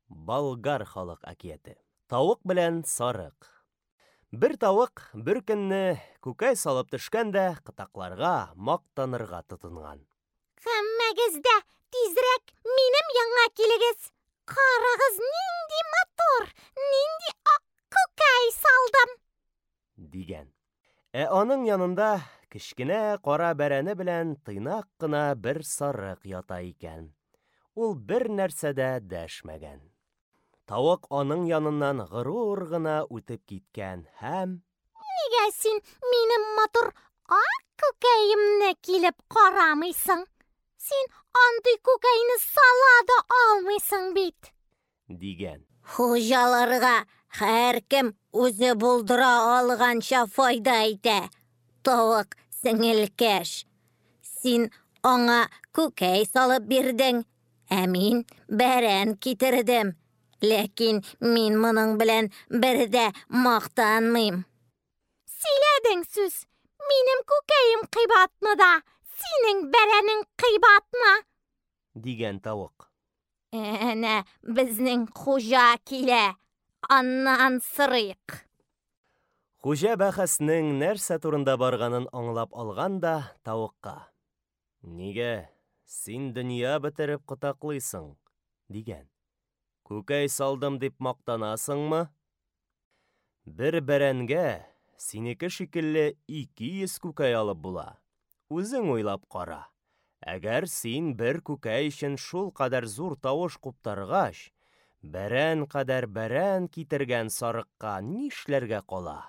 Болгар халык әкияте. Тавык белән сарык. Бер тавык бер көнне күкәй салып төшкән дә кытакларга мактанырга тотынган. Һәммәгез дә тизрәк минем янга килегез. Карагыз, нинди матур, нинди ак күкәй салдым! Дигән. Ә аның янында кечкенә кара бәрәне белән тыйнак кына бер сарык ята икән. Ул бер нәрсә дә дәшмәгән. Тавык аның яныннан горур гына үтеп киткән һәм: Нигә син минем матур ак күкәемне килеп карамыйсың? Син андый күкәйне сала да алмыйсың бит! Дигән. Хуҗаларга һәркем үзе булдыра алганча файда итә, тавык сеңелкәш. Син аңа күкәй салып бирдең, ә мин бәрән китердем. Ләкин мин моның белән бер дә мактанмыйм. Сөйләдең сүз. Минем күкәем кыйбатмы да, синең бәрәнең кыйбатмы? Дигән тавык. Әнә безнең хуҗа килә. Аннан сорыйк. Хуҗа бәхәснең нәрсә турында барганын аңлап алган да тавыкка: Нигә син дөнья бетереп кытаклыйсың? дигән. Күкәй салдым дип мактанасыңмы? Бер бәрәнгә синеке шикелле 200 күкәй алып була. Үзең уйлап кара. Әгәр син бер күкәй өчен шул кадәр зур тавыш куптаргач, бәрән кадәр бәрән китергән сарыкка нишләргә кала?